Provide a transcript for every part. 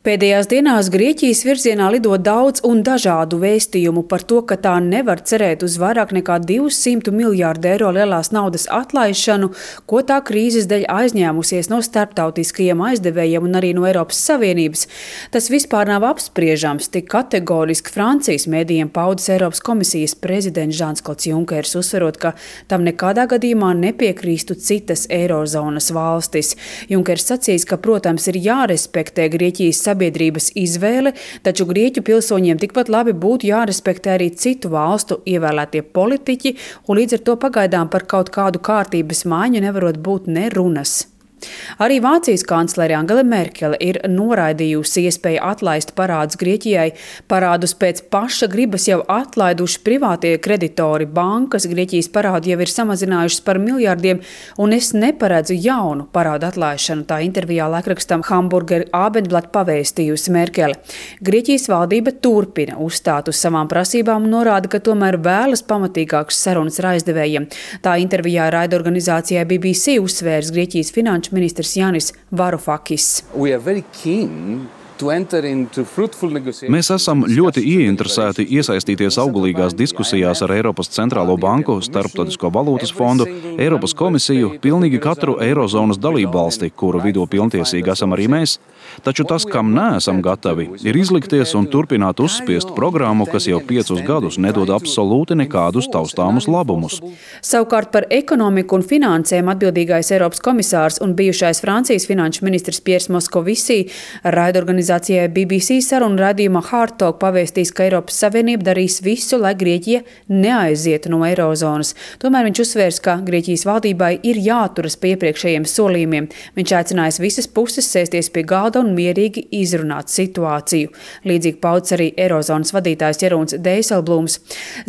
Pēdējās dienās Grieķijas virzienā lido daudz un dažādu vēstījumu par to, ka tā nevar cerēt uz vairāk nekā 200 miljārdu eiro lielās naudas atlaišanu, ko tā krīzes dēļ aizņēmusies no starptautiskajiem aizdevējiem un arī no Eiropas Savienības. Tas vispār nav apspriežams, tik kategoriski Francijas mēdījiem paudis Eiropas komisijas prezidents Žans-Klods Junkers, uzsverot, ka tam nekādā gadījumā nepiekrīstu citas eirozonas valstis. Junkers sacīs, ka, protams, ir jārespektē Grieķijas sabiedrības izvēle, taču Grieķu pilsoņiem tikpat labi būtu jārespektē arī citu valstu ievēlētie politiķi, un līdz ar to pagaidām par kaut kādu kārtības maiņu nevarot būt ne runas. Arī Vācijas kanclere Angela Merkele ir noraidījusi iespēju atlaist parādus Grieķijai. Parādus pēc paša gribas jau atlaiduši privātie kreditori. Bankas Grieķijas parādu jau ir samazinājušas par miljardiem, un es neparedzu jaunu parādu atlaišanu. Tā intervijā laikrakstam Hamburger Abendblatt pavēstījusi Merkele. Grieķijas valdība turpina uzstāt uz savām prasībām un norāda, ka tomēr vēlas pamatīgākas sarunas ar aizdevējiem. Tā intervijā raidorganizācijai BBC uzsvērs Grieķijas finanšu ministrs Jānis Varufakis. Mēs esam ļoti ieinteresēti iesaistīties auglīgās diskusijās ar Eiropas centrālo banku, Starptautisko valūtas fondu, Eiropas komisiju, pilnīgi katru eirozonas dalībvalsti, kuru vidū pilntiesīgi esam arī mēs. Taču tas, kam neesam gatavi, ir izlikties un turpināt uzspiest programmu, kas jau 5 gadus nedod absolūti nekādus taustāmus labumus. Savukārt par ekonomiku un finansēm atbildīgais Eiropas komisārs un bijušais Francijas finanšu ministrs Piers Moskovisī raidorganizācijai BBC sarunu raidījumā Hard Talk pavēstīs, ka Eiropas Savienība darīs visu, lai Grieķija neaizietu no eirozonas. Tomēr viņš uzsvērs, ka Grieķijas valdībai ir jāturas pie iepriekšējiem solījumiem. Viņš aicinājis visas puses sēsties pie galda un mierīgi izrunāt situāciju. Līdzīgi pauds arī eirozonas vadītājs Jeroens Dijsselbloems.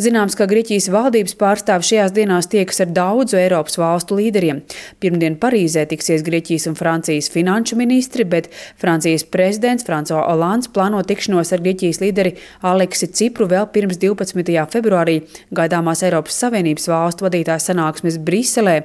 Zināms, ka Grieķijas valdības pārstāvi šajās dienās tiekas ar daudzu Eiropas valstu līderiem. Pirmdien Parīzē tiksies Grieķijas un Francijas finanšu ministri, bet Francijas prezidents François Hollands plāno tikšanos ar Grieķijas līderi Aleksi Cipru vēl pirms 12. februārī gaidāmās Eiropas Savienības valstu vadītāju sanāksmes Briselē.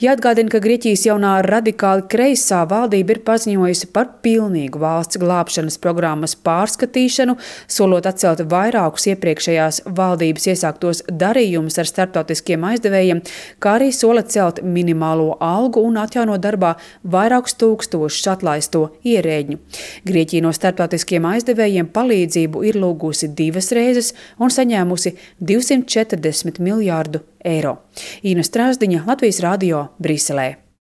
Jāatgādina, ka Grieķijas jaunā radikāli kreisā valdība ir paziņojusi par pilnīgu valsts glābšanas programmas pārskatīšanu, solot atcelt vairākus iepriekšējās valdības iesāktos darījumus ar starptautiskiem aizdevējiem, kā arī sola celt minimālo algu un atjaunot darbā vairākus tūkstošus atlaisto ierēģņu. Grieķija no starptautiskiem aizdevējiem palīdzību ir lūgusi 2 reizes un saņēmusi 240 miljārdu eiro. Ina Strāzdiņa, Latvijas radio, Briselē.